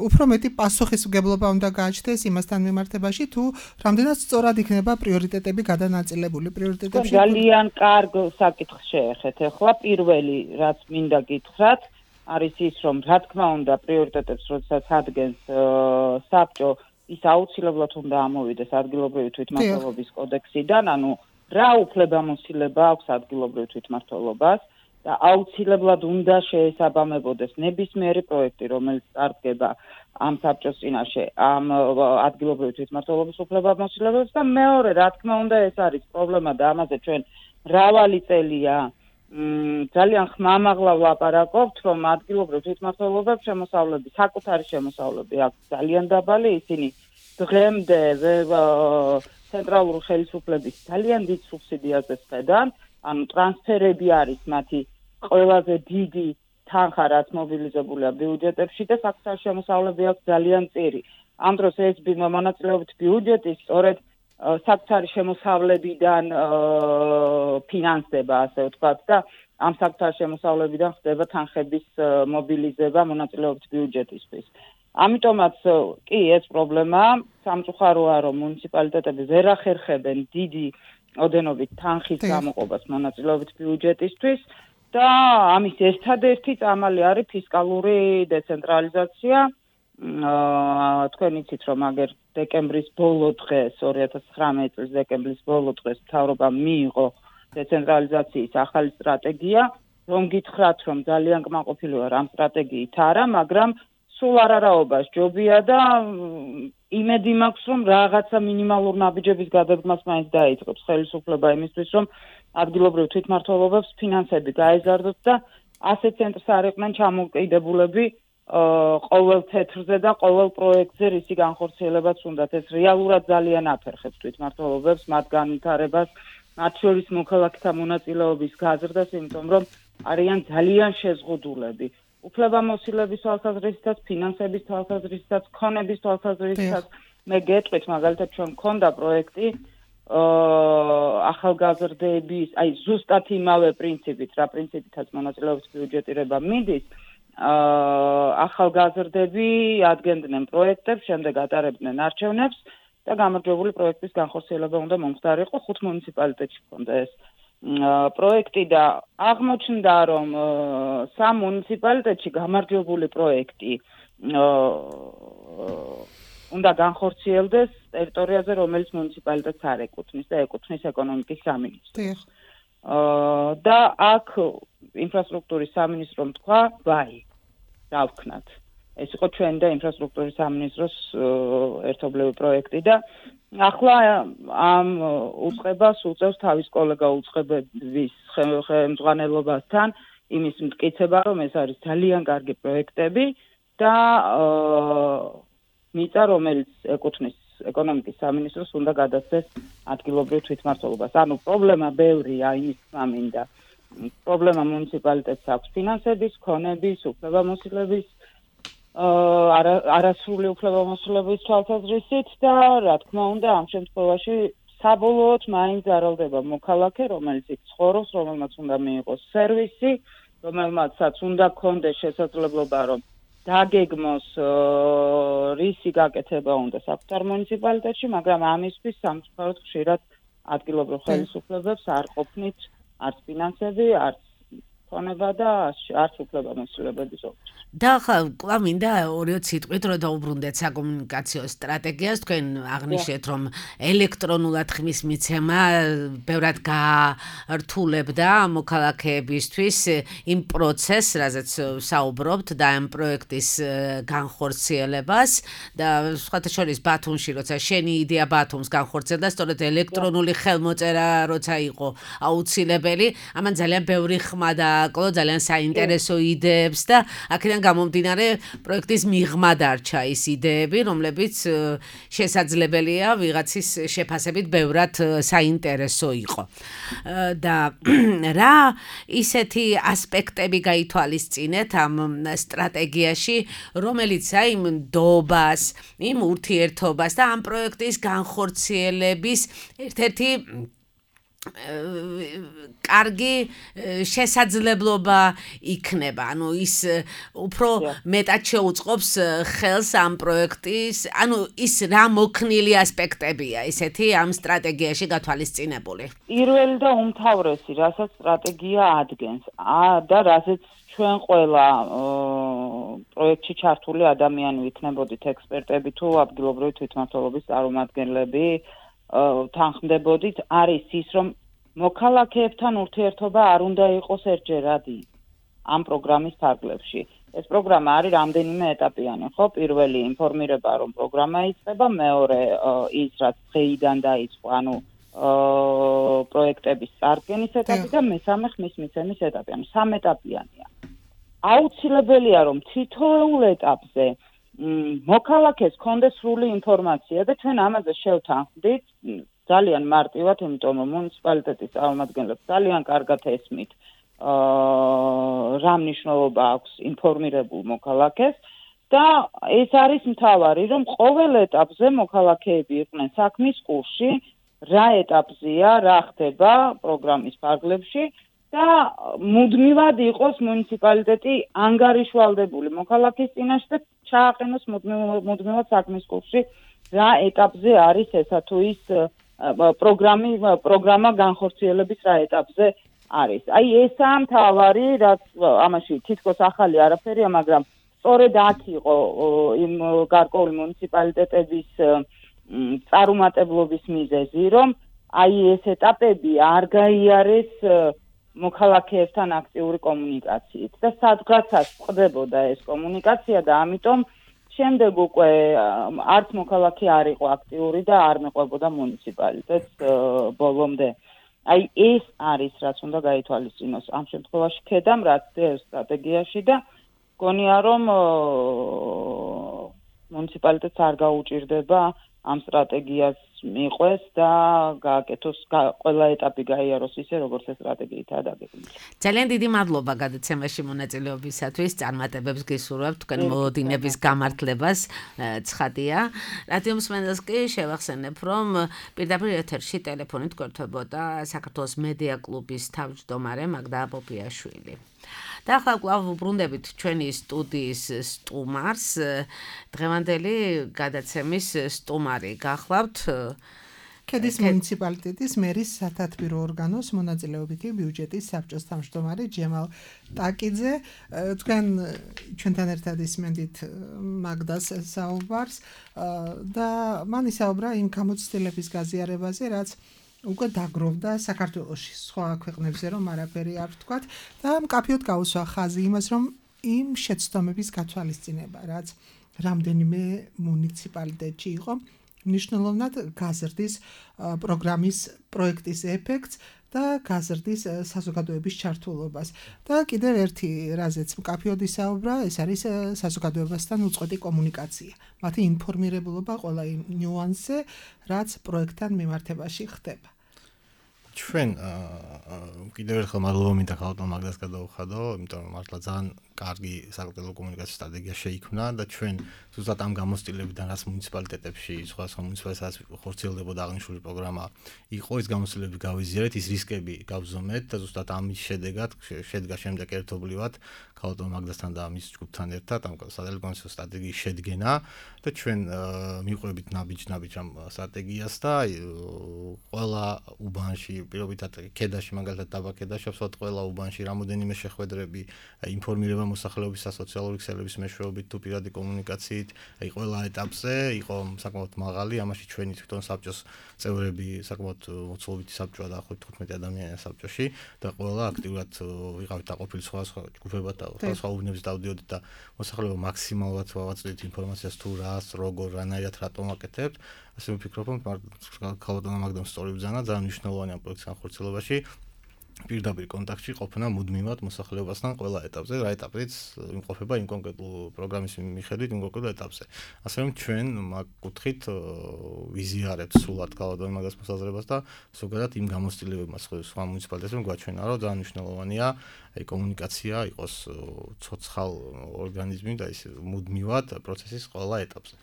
უფრო მეტი პასუხისმგებლობა უნდა გააჩნდეს იმასთან მიმართებაში, თუ რამდენად სწორად იქნება პრიორიტეტები გადანაწილებული პრიორიტეტებში. ძალიან კარგ საკითხს შეეხეთ. ახლა პირველი, რაც მინდა გითხრათ, არის ის, რომ რა თქმა უნდა პრიორიტეტებს როდესაც ადგენს საბჭო, ის აუცილებლად უნდა ამოვიდეს ადგილობრივი თვითმმართველობის კოდექსიდან, ანუ რა უფლებამოსილება აქვს ადგილობრივ თვითმმართველობას და აუცილებლად უნდა შეესაბამებოდეს ნებისმიერი პროექტი, რომელიც წარდგება ამ საბჭოს წინაშე, ამ ადგილობრივი თვითმმართველობის უფლებამოსილებებს და მეორე, რა თქმა უნდა, ეს არის პრობლემა და ამაზე ჩვენ მრავალი წელია ძალიან ხმამაღლა ვლაპარაკობთ, რომ ადგილობრივ თვითმმართველობებს შემოსავლები, საკუთარი შემოსავლები აქვს ძალიან დაბალი, ისინი დღემდე ცენტრალური ხელისუფლების ძალიან დიდ სუბსიდიაზე სხედან, ანუ ტრანსფერები არის მათი ყველაზე დიდი თანხა, რაც მობილიზებულია ბიუჯეტებში და საკუთარი შემოსავლები აქვს ძალიან წირი. ამ დროს ეს მონაწილეობით ბიუჯეტი სწორედ საკუთარი შემოსავლებიდან ფინანსდება, ასე ვთქვათ, და ამ საკუთარი შემოსავლებიდან ხდება თანხების მობილიზება მონაწილეობის ბიუჯეტისთვის. ამიტომაც კი ეს პრობლემაა, სამწუხაროა, რომ მუნიციპალიტეტები ვერ ახერხებენ დიდი ოდენობით თანხის გამოყოფას მონაწილეობის ბიუჯეტისთვის და ამის ერთადერთი წამალი არის ფისკალური დეცენტრალიზაცია. თქვენ იცით, რომ აგერ დეკემბრის ბოლო დღეს, ორი ათას ცხრამეტი წლის დეკემბრის ბოლო დღეს მთავრობამ მიიღო დეცენტრალიზაციის ახალი სტრატეგია, რომ გითხრათ, რომ ძალიან კმაყოფილი ვარ ამ სტრატეგიით არა, მაგრამ სულ არარაობას ჯობია და იმედი მაქვს, რომ რაღაცა მინიმალურ ნაბიჯების გადადგმას მაინც დაიწყებს ხელისუფლება იმისთვის, რომ ადგილობრივ თვითმმართველობებს ფინანსები გაეზარდოთ და ასეთ ცენტრს არ იყვნენ ჩამოკიდებულები ყოველ თეთრზე და ყოველ პროექტზე რისი განხორციელებაც უნდათ. ეს რეალურად ძალიან აფერხებს თვითმმართველობებს, მათ განვითარებას, მათ შორის მოქალაქეთა მონაწილეობის გაზრდას, იმიტომ რომ არიან ძალიან შეზღუდულები. უფლებამოსილების თვალსაზრისითაც, ფინანსების თვალსაზრისითაც, ქონების თვალსაზრისითაც. მე გეტყვით, მაგალითად, ჩვენ მქონდა პროექტი ახალგაზრდების, აი ზუსტად იმავე პრინციპით, რა პრინციპითაც მონაწილეობის ბიუჯეტირება მიდის, ახალგაზრდები ადგენდნენ პროექტებს, შემდეგ ატარებდნენ არჩევნებს და გამარჯვებული პროექტის განხორციელება უნდა მომხდარიყო ხუთ მუნიციპალიტეტში ჰქონდა ეს პროექტი და აღმოჩნდა, რომ სამ მუნიციპალიტეტში გამარჯვებული პროექტი უნდა განხორციელდეს ტერიტორიაზე, რომელიც მუნიციპალიტეტს არ ეკუთვნის და ეკუთვნის ეკონომიკის სამინისტროს. და აქ ინფრასტრუქტურის სამინისტრომ თქვა, ვაი, დავქნათ. ეს იყო ჩვენი და ინფრასტრუქტურის სამინისტროს ერთობლივი პროექტი და ახლა ამ უწყებას უწევს თავის კოლეგა უწყებების ხელმძღვანელობასთან იმის მტკიცება, რომ ეს არის ძალიან კარგი პროექტები და მიწა, რომელიც ეკუთვნის ეკონომიკის სამინისტროს უნდა გადასცეს ადგილობრივ თვითმმართველობას. ანუ პრობლემა ბევრია, იმის თქმა მინდა. პრობლემა მუნიციპალიტეტს აქვს ფინანსების, ქონების, უფლებამოსილების, არასრული უფლებამოსილების თვალსაზრისით და რა თქმა უნდა, ამ შემთხვევაში საბოლოოდ მაინც არალდება მოქალაქე, რომელიც იქ ცხოვრობს, რომელმაც უნდა მიიღოს სერვისი, რომელმაცაც უნდა ქონდეს შესაძლებლობა, რომ დაგეგმოს რისი გაკეთება უნდა საკუთარ მუნიციპალიტეტში, მაგრამ ამისთვის სამწუხაროდ ხშირად ადგილობრივ ხელისუფლებებს არ ყოფნით არც ფინანსები, არც ქონება და არც უფლებამოსილებების ოფიში. და ხა კვლავ მინდა ორი სიტყვით რომ დაუბრუნდეთ საკომუნიკაციო სტრატეგიას. თქვენ აღნიშნეთ, რომ ელექტრონულად ხმის მიცემა ბევრად გაართულებდა მოქალაქეებისთვის იმ პროცესს, რაზეც საუბრობთ და ამ პროექტის განხორციელებას და სხვათა შორის ბათუმში, როცა შენი იდეა ბათუმს განხორციელდა, სწორედ ელექტრონული ხელმოწერა როცა იყო აუცილებელი, ამან ძალიან ბევრი ხმა დააკლო, ძალიან საინტერესო იდეებს და აქედან გამომდინარე პროექტის მიღმა დარჩა ის იდეები, რომლებიც შესაძლებელია ვიღაცის შეფასებით ბევრად საინტერესო იყო. და რა ისეთი ასპექტები გაითვალისწინეთ ამ სტრატეგიაში, რომელიც აი იმ ნდობას, იმ ურთიერთობას და ამ პროექტის განხორციელების ერთ-ერთი კარგი შესაძლებლობა იქნება. ანუ ის უფრო მეტად შეუწყობს ხელს ამ პროექტის, ანუ ის რა მოქნილი ასპექტებია ისეთი ამ სტრატეგიაში გათვალისწინებული. პირველი და უმთავრესი, რასაც სტრატეგია ადგენს და რასაც ჩვენ ყველა პროექტში ჩართული ადამიანი ვიქნებოდით ექსპერტები თუ ადგილობრივი თვითმმართველობის წარმომადგენლები, თანხმდებოდით, არის ის, რომ მოქალაქეებთან ურთიერთობა არ უნდა იყოს ერთჯერადი ამ პროგრამის ფარგლებში. ეს პროგრამა არის რამდენიმე ეტაპიანი, ხო? პირველი ინფორმირება, რომ პროგრამა იწყება, მეორე ის, რაც დღეიდან დაიწყო, ანუ პროექტების წარდგენის ეტაპი და მესამე ხმის მიცემის ეტაპი, ანუ სამეტაპიანია. აუცილებელია, რომ თითოეულ ეტაპზე მოქალაქეს ქონდეს სრული ინფორმაცია და ჩვენ ამაზე შევთანხმდით ძალიან მარტივად, იმიტომ რომ მუნიციპალიტეტის წარმომადგენლებს ძალიან კარგად ესმით რა მნიშვნელობა აქვს ინფორმირებულ მოქალაქეს და ეს არის მთავარი, რომ ყოველ ეტაპზე მოქალაქეები იყვნენ საქმის კურსში, რა ეტაპზეა, რა ხდება პროგრამის ფარგლებში და მუდმივად იყოს მუნიციპალიტეტი ანგარიშვალდებული მოქალაქის წინაშე და ჩააყენოს მუდმივად საქმის კურსში, რა ეტაპზე არის ესა თუ ის პროგრამი პროგრამა განხორციელების რა ეტაპზე არის. აი ესაა მთავარი, რაც ამაში თითქოს ახალი არაფერია, მაგრამ სწორედ აქ იყო იმ გარკვეული მუნიციპალიტეტების წარუმატებლობის მიზეზი, რომ აი ეს ეტაპები არ გაიარეს მოქალაქეებთან აქტიური კომუნიკაციით და სადღაცაც ხდებოდა ეს კომუნიკაცია და ამიტომ შემდეგ უკვე არც მოქალაქე არ იყო აქტიური და არ მეყვებოდა მუნიციპალიტეტს ბოლომდე. აი ეს არის რაც უნდა გაითვალისწინოს ამ შემთხვევაში ქედამ რაც სტრატეგიაში და გონია რომ მუნიციპალიტეტს არ გაუჭირდება ამ სტრატეგიას მიყვეს და გააკეთოს ყველა ეტაპი გაიაროს ისე როგორც ეს სტრატეგიითაა დაგეგმილი. ძალიან დიდი მადლობა გადაცემაში მონაწილეობისათვის. წარმატებებს გისურვებთ თქვენ მოლოდინების გამართლებას. ცხადია. რადიო მსმენელს კი შევახსენებ, რომ პირდაპირ ეთერში ტელეფონით გვერდებოდა საქართველოს მედია კლუბის თავმჯდომარე მაგდა პოპიაშვილი. და ახლა კვლავ ვუბრუნდებით ჩვენი სტუდიის სტუმარს. დღევანდელი გადაცემის სტუმარი გახლავთ ქედის მუნიციპალიტეტის მერის სათათბირო ორგანოს მონაწილეობითი ბიუჯეტის საბჭოს თავმჯდომარე ჯემალ ტაკიძე. თქვენ ჩვენთან ერთად ისმენდით მაგდას საუბარს და მან ისაუბრა იმ გამოცდილების გაზიარებაზე, რაც უკვე დაგროვდა საქართველოში სხვა ქვეყნებზე, რომ არაფერი არ ვთქვათ და მკაფიოდ გაუსვა ხაზი იმას, რომ იმ შეცდომების გათვალისწინება, რაც რამდენიმე მუნიციპალიტეტში იყო, მნიშვნელოვნად გაზრდის პროგრამის პროექტის ეფექტს და გაზრდის საზოგადოების ჩართულობას. და კიდევ ერთი რაზეც მკაფიოდ ისაუბრა, ეს არის საზოგადოებასთან უწყვეტი კომუნიკაცია. მათი ინფორმირებულობა ყველა იმ ნიუანსზე, რაც პროექტთან მიმართებაში ხდება. ჩვენ კიდევ ერთხელ მადლობა მინდა ხალხთან მაგდას გადავხადო, იმიტომ რომ მართლა ძალიან კარგი საკუთრივ კომუნიკაციის სტრატეგია შეიქმნა და ჩვენ ზუსტად ამ გამოცდილებიდან რაც მუნიციპალიტეტებში, სხვა სხვა მუნიციპალიტეტებში ხორციელდებოდა აღნიშნული პროგრამა, იყო ეს გამოცდილებები გავიზიარეთ, ის რისკები გავზომეთ და ზუსტად ამის შედეგად შედგა შემდეგ ერთობლივად ხალხთან მაგდასთან და მის ჯგუფთან ერთად ამ სატელეკომუნიკაციო სტრატეგიის შედგენა და ჩვენ მივყვებით ნაბიჯ-ნაბიჯ ამ სტრატეგიას და ყველა უბანში პირობითად ქედაში მაგალითად დაბა ქედაში absolut ყველა უბანში რამოდენიმე შეხვედრები ინფორმირება მოსახლეობის სოციალური ქსელების მეშვეობით თუ პირადი კომუნიკაციით, აი ყველა ეტაპზე იყო საკმაოდ მაღალი, ამაში ჩვენი თვითონ საბჭოს წევრები საკმაოდ მოცულობითი საბჭოა და ახლა თხუთმეტი ადამიანია საბჭოში და ყველა აქტიურად ვიყავით დაყოფილი სხვა სხვა ჯგუფებად და სხვა უბნებს დავდიოდით და მოსახლეობა მაქსიმალურად ვავაწვდით ინფორმაციას თუ რას, როგორ, რანაირად რატომ აკეთებთ. ასე ვფიქრობ, რომ ქალბატონმა მაგდამ სწორი ბრძანა ძალიან მნიშვნელოვანი ამ პროექტის განხორციელებაში. პირდაპირ კონტაქტში ყოფნა მუდმივად მოსახლეობასთან ყველა ეტაპზე, რა ეტაპზეც იმყოფება იმ კონკრეტულ პროგრამის მიხედვით იმ კონკრეტულ ეტაპზე. ასე რომ ჩვენ მაგ კუთხით ვიზიარებთ სულად ქალბატონ მაგას მოსაზრებას და ზოგადად იმ გამოცდილებებმა სხვა მუნიციპალიტეტებში გვაჩვენა, რომ ძალიან მნიშვნელოვანია აი კომუნიკაცია იყოს ცოცხალ ორგანიზმი და ის მუდმივად პროცესის ყველა ეტაპზე.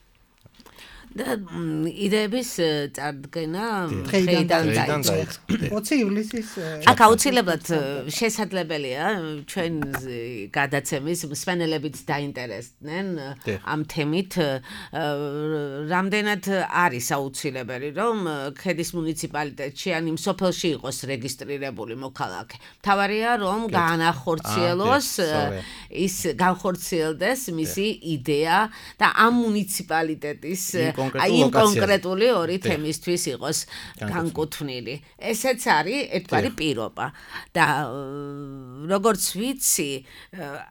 და იდეების წარდგენა დღეიდან დაიწყო. ოცი ივლისის აქ აუცილებლად შესაძლებელია ჩვენ გადაცემის მსმენელებიც დაინტერესდნენ ამ თემით. რამდენად არის აუცილებელი, რომ ქედის მუნიციპალიტეტში ან იმ სოფელში იყოს რეგისტრირებული მოქალაქე. მთავარია, რომ გაანახორციელოს ის განხორციელდეს მისი იდეა და ამ მუნიციპალიტეტის აი იმ კონკრეტული ორი თემისთვის იყოს განკუთვნილი. ესეც არის ერთგვარი პირობა და როგორც ვიცი,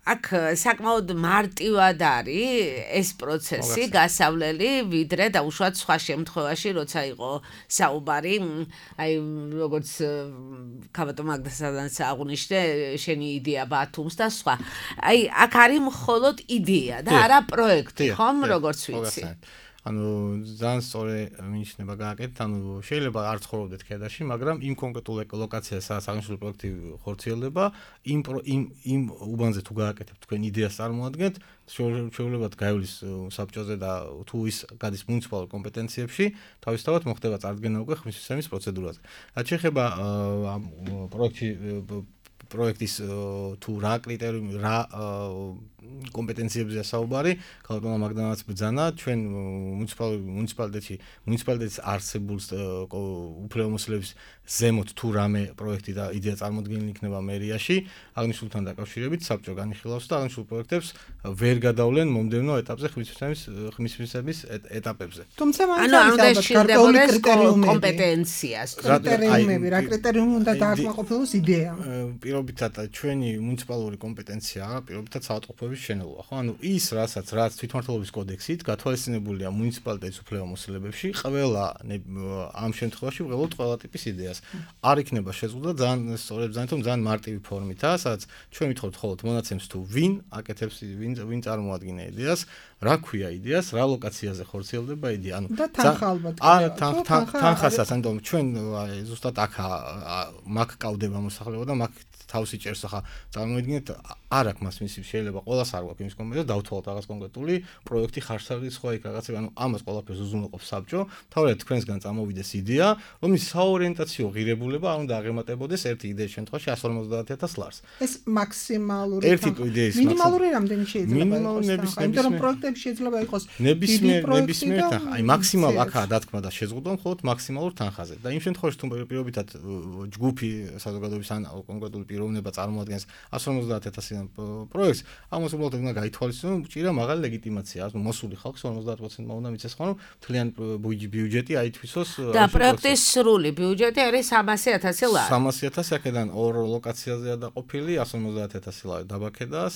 აქ საკმაოდ მარტივად არის ეს პროცესი გასავლელი, ვიდრე დაუშვათ სხვა შემთხვევაში, როცა იყო საუბარი, აი როგორც ქალბატონ მაგდასაც აღნიშნე, შენი იდეა ბათუმს და სხვა. აი აქ არის მხოლოდ იდეა და არა პროექტი, ხომ, როგორც ვიცი. ანუ ძალიან სწორი მინიშნება გააკეთეთ, ანუ შეიძლება არ ცხოვრობდეთ ქედაში, მაგრამ იმ კონკრეტულ ლოკაციაზე, სადაც აღნიშნული პროექტი ხორციელდება, იმ იმ იმ უბანზე თუ გააკეთებთ თქვენ იდეას წარმოადგენთ, შეუძლებელად გაივლის საბჭოზე და თუ ის გადის მუნიციპალურ კომპეტენციებში, თავისთავად მოხდება წარდგენა უკვე ხმისმისცემის პროცედურაზე. რაც შეეხება ამ პროექტი პროექტის თუ რა კრიტერიუმი, რა კომპეტენციებზეა საუბარი, ქალბატონმა მაგდანაც ბრძანა, ჩვენ მუნიციპალიტეტში, მუნიციპალიტეტის არსებულ უფლებამოსილების ზემოთ თუ რამე პროექტი და იდეა წარმოდგენილი იქნება მერიაში, აღნიშნულთან დაკავშირებით საბჭო განიხილავს და აღნიშნულ პროექტებს ვერ გადავლენ მომდევნო ეტაპზე ხმისმისცემის ხმისმისცემის ეტაპებზე. თუმცა მაინც არის გარკვეული კრიტერიუმები, კომპეტენციას, კრიტერიუმები, რა კრიტერიუმი უნდა დააკმაყოფილოს იდეა. პირობითად ჩვენი მუნიციპალური კომპეტენცია, პირობითად საავადმყოფოების შენელობა, ხო? ანუ ის, რასაც რაც თვითმმართველობის კოდექსით გათვალისწინებულია მუნიციპალიტეტის უფლებამოსილებებში, ყველა ამ შემთხვევაში ვღებავთ ყველა ტიპის იდეას. არ იქნება შეზღუდვა ძალიან სწორედ ძალიან თუ ძალიან მარტივი ფორმითაა, სადაც ჩვენ ვითხოვთ ხოლმე მონაცემს თუ ვინ აკეთებს, ვინ ვინ წარმოადგენს იდეას, რა ქვია იდეას, რა ლოკაციაზე ხორციელდება იდეა. ანუ და თანხა ალბათ. არა, თანხასაც, ანუ ჩვენ ზუსტად აქ მაგ კავდება მოსახლეობა და მაგ თავსი ჭერს ახლა წარმოიდგინეთ არ აქვს მას მისი შეიძლება ყველას არ გვაქვს იმის კომპეტენცია დავთვალოთ რაღაც კონკრეტული პროექტი ხარშხალის სხვა იქ რაღაცები ანუ ამას ყველაფერს უზრუნველყოფს საბჭო თავად თქვენსგან წამოვიდეს იდეა რომლის საორიენტაციო ღირებულება არ უნდა აღემატებოდეს ერთი იდეის შემთხვევაში εκατს ორმოცდაათ ათას ლარს ეს მაქსიმალური ერთი იდეის მინიმალური რამდენი შეიძლება მინიმალური ნებისმიერ იმიტომ რომ პროექტები შეიძლება იყოს ნებისმიერ ნებისმიერ თანხა აი მაქსიმალ აქაა დათქმა და შეზღუდვა მხოლოდ მაქსიმალურ თანხაზე და იმ შემთხვევაში თუ პირობითად ჯგუფი საზოგადოების ან კონკრეტული პიროვნება წარმოადგენს εκατს ორმოცდაათ ათასიდან პროექტს, ამას უბრალოდ უნდა გაითვალისწინოს, ჭირა მაღალი ლეგიტიმაცია, ანუ მოსული ხალხს ორმოცდაათ პროცენტმა უნდა მიცეს ხოლმე მთლიან ბიუჯეტი აითვისოს. და პროექტის სრული ბიუჯეტი არის სამასი ათასი ლარი. სამასი ათასი აქედან ორ ლოკაციაზეა დაყოფილი, εκατს ორმოცდაათ ათასი ლარი დაბაქედას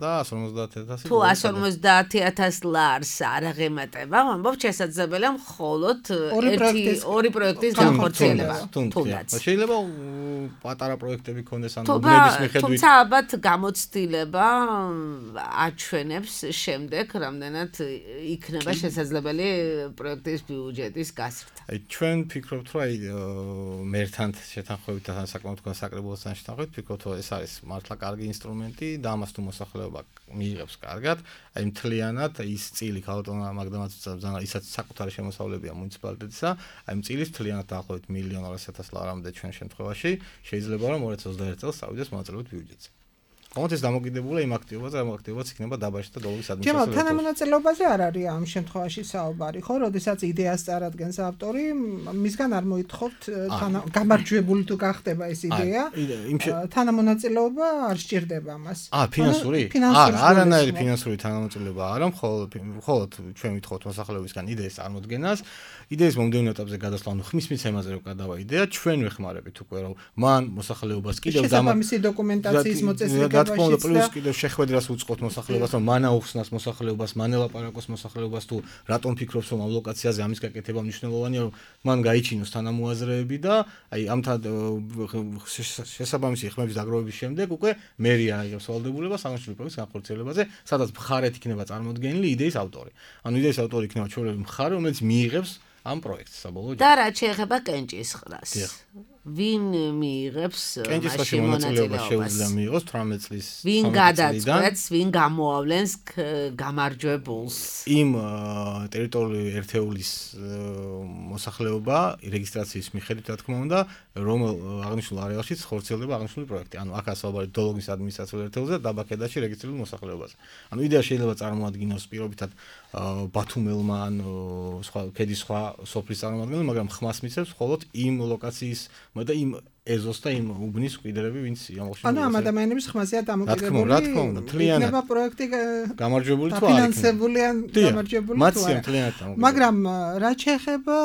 და εκατს ორმოცდაათ ათასი. თუ εκατს ორმოცდაათ ათასი ლარს არ აღემატება, ამბობ შესაძლებელია მხოლოდ ერთი ორი პროექტის განხორციელება. თუნდაც. შეიძლება პატარა პროექტები ქონდეს ან უბნების მიხედვით. თუმცა ალბათ გამოცდილება აჩვენებს შემდეგ რამდენად იქნება შესაძლებელი პროექტის ბიუჯეტის გაზრდა. აი ჩვენ ფიქრობთ რომ აი მერთან შეთანხმებით და საკმაოდ საკრებულოსთან შეთანხმებით ფიქრობთ რომ ეს არის მართლა კარგი ინსტრუმენტი და ამას თუ მოსახლეობა მიიღებს კარგად, აი მთლიანად ის წილი ქალბატონმა მაგდამაც ბრძანა ისაც საკუთარი შემოსავლებია მუნიციპალიტეტისა, აი წილის მთლიანად დაახლოებით მილიონ ორასი ათას ლარამდე ჩვენ შემთხვევაში შეიძლება რომ ორი ათას ოცდაერთი წელს წავიდეს მონაწილეობით ბიუჯეტზე. ხომ ეს დამოკიდებულია იმ აქტივობაზე, ამ აქტივობაც იქნება დაბაში და დოლრის ადმინისტრაცია. ჯერა თანამონაწილეობაზე არ არის ამ შემთხვევაში საუბარი, ხო, როდესაც იდეას წარადგენს ავტორი, მისგან არ მოითხოვთ გამარჯვებული თუ გახდება ეს იდეა. თანამონაწილეობა არ სჭირდება მას. აა, ფინანსური? არა, არანაირი ფინანსური თანამონაწილეობა არა, მხოლოდ მხოლოდ ჩვენ ვითხოვთ მოსახლეობისგან იდეის წარმოდგენას. იდეის მომდევნო ეტაპზე გადასვლა, ანუ ხმის მიცემაზე რო გადავა იდეა, ჩვენ ვეხმარებით უკვე რომ მან მოსახლეობას კიდევ შესაბამისი დოკუმენტაციის მოწესრიგება და თქმა უნდა პლუს კიდევ შეხვედრას უწყოთ მოსახლეობას, რომ მან აუხსნას მოსახლეობას, მან ელაპარაკოს მოსახლეობას თუ რატომ ფიქრობს რომ ამ ლოკაციაზე ამის გაკეთება მნიშვნელოვანია, რომ მან გაიჩინოს თანამოაზრეები და აი ამ შესაბამისი ხმების დაგროვების შემდეგ უკვე მერია აიღებს ვალდებულებას აღნიშნული პროექტის განხორციელებაზე, სადაც მხარეთ იქნება წარმოდგენილი იდეის ავტორი. ანუ იდეის ავტორი იქნება ჩვეულებრივი მხარე, რომელიც მიიღებს ამ პროექტს საბოლოო და რა შეეხება კენჭისყრას ვინ მიიღებს კენჭისყრაში მონაწილეობა შეუძლია მიიღოს თვრამეტ წლის ვინ გადაწყვეტს ვინ გამოავლენს გამარჯვებულს იმ ტერიტორიული ერთეულის მოსახლეობა რეგისტრაციის მიხედვით რა თქმა უნდა რომ აღნიშნულ არეალშიც ხორციელდება აღნიშნული პროექტი ანუ აქ ასაუბარი დოლოგის ადმინისტრაციულ ერთეულზე და დაბაქედაში რეგისტრირებულ მოსახლეობაზე ანუ იდეა შეიძლება წარმოადგინოს პირობითად ბათუმელმა ან სხვა ქედის სხვა სოფლის წარმომადგენელი მაგრამ ხმას მიცემს მხოლოდ იმ ლოკაციის და იმ ეზოს და იმ უბნის მკვიდრები ვინც ამოხსნა ანუ ამ ადამიანების ხმაზეა დამოკიდებული რა თქმა უნდა მთლიანად იქნება პროექტი გამარჯვებული თუ არ ფინანსებული ან გამარჯვებული თუ არა მაგრამ რა შეეხება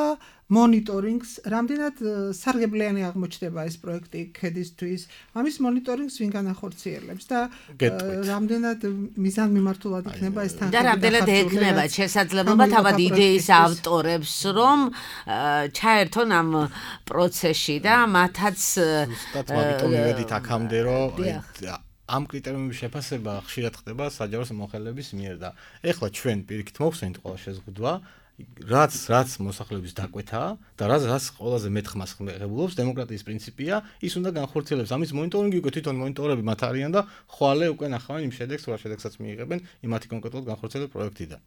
მონიტორინგს რამდენად სარგებლიანი აღმოჩნდება ეს პროექტი ქედისთვის ამის მონიტორინგს ვინ განახორციელებს და რამდენად მიზანმიმართულად იქნება ეს თანხები და რამდენად ექნება შესაძლებლობა თავად იდეის ავტორებს რომ ჩაერთონ ამ პროცესში და მათაც სტატმატომ მივედით აქამდე რომ ამ კრიტერიუმების შეფასება ხშირად ხდება საჯარო მოხელების მიერ და ეხლა ჩვენ პირიქით მოხსენით ყველა შეზღუდვა რაც რაც მოსახლეობის დაკვეთაა და რაც რაც ყველაზე მეტ ხმას ღებულობს დემოკრატიის პრინციპია, ის უნდა განხორციელებს. ამის მონიტორინგი უკვე თვითონ მონიტორები მათ არიან და ხვალე უკვე ნახავენ იმ შედეგს, რა შედეგსაც მიიღებენ იმათი კონკრეტულად განხორციელებული პროექტიდან.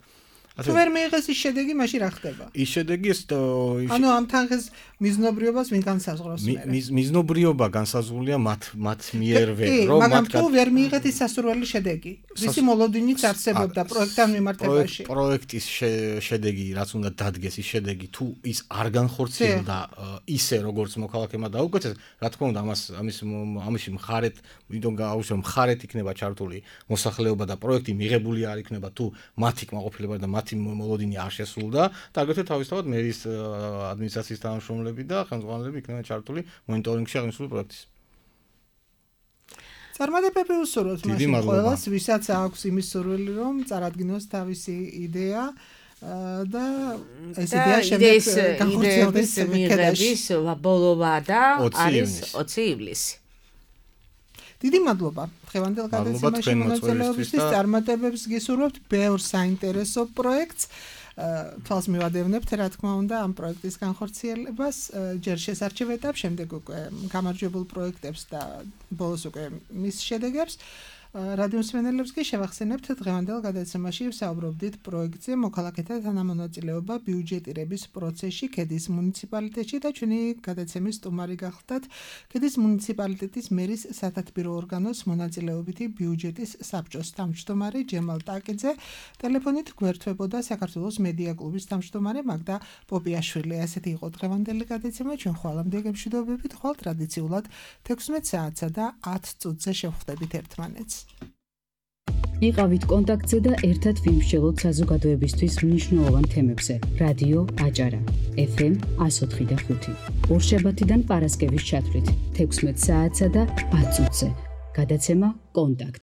თუ ვერ მიიღეს ის შედეგი, მაშინ რა ხდება? ის შედეგი ეს ანუ ამ თანხის მიზნობრიობას ვინ განსაზღვრავს მე? მიზნობრიობა განსაზღვრულია მათ მათ მიერვე, რომ მათ მაგრამ თუ ვერ მიიღეთ ის სასურველი შედეგი, ვისი მოლოდინიც არსებობდა პროექტთან მიმართებაში? პროექტის შედეგი, რაც უნდა დადგეს ის შედეგი, თუ ის არ განხორციელდა ისე როგორც მოქალაქემა დაუკვეცეს, რა თქმა უნდა, ამას ამის ამაში მხარეთ, ვინდომ გააუშვებს მხარეთ იქნება ჩართული მოსახლეობა და პროექტი მიღებული არ იქნება თუ მათი კმაყოფილება და მოლოდინი არ შესრულდა და აგრეთვე თავისთავად მერის ადმინისტრაციის თანამშრომლები და ხელმძღვანელები იქნება ჩართული მონიტორინგში აღნიშნული პროექტის. წარმატებები უსურვოთ მაშინ ყველას, ვისაც აქვს იმის სურვილი, რომ წარადგინოს თავისი იდეა და ეს იდეა შემდეგ განხორციელდეს მიღების ბოლოვა და არის ოცი ივლისი. დიდი მადლობა დღევანდელ გადაცემაში მონაწილეობისთვის, წარმატებებს გისურვებთ, ბევრ საინტერესო პროექტს. თვალს მივადევნებთ, რა თქმა უნდა, ამ პროექტის განხორციელებას, ჯერ შესარჩევ ეტაპს, შემდეგ უკვე გამარჯვებულ პროექტებს და ბოლოს უკვე მის შედეგებს. რადიო მსმენელებს კი შევახსენებთ, დღევანდელ გადაცემაში ვსაუბრობდით პროექტზე მოქალაქეთა თანამონაწილეობა ბიუჯეტირების პროცესში ქედის მუნიციპალიტეტში და ჩვენი გადაცემის სტუმარი გახლდათ ქედის მუნიციპალიტეტის მერის სათათბირო ორგანოს მონაწილეობითი ბიუჯეტის საბჭოს თავმჯდომარე ჯემალ ტაკიძე. ტელეფონით გვერდთვებოდა საქართველოს მედია კლუბის თავმჯდომარე მაგდა პოპიაშვილი. ასეთი იყო დღევანდელი გადაცემა. ჩვენ ხვალამდე გემშვიდობებით, ხვალ ტრადიციულად თექვსმეტ საათსა და ათ წუთზე შევხვდებით ერთმანეთს. იყავით კონტაქტზე და ერთად ვიმსჯელოთ საზოგადოებისთვის მნიშვნელოვან თემებზე. რადიო აჭარა ეფ ემ εκατო ოთხი და ხუთი. ორშაბათიდან პარასკევის ჩათვლით თექვსმეტ საათსა და ათ წუთზე. გადაცემა კონტაქტ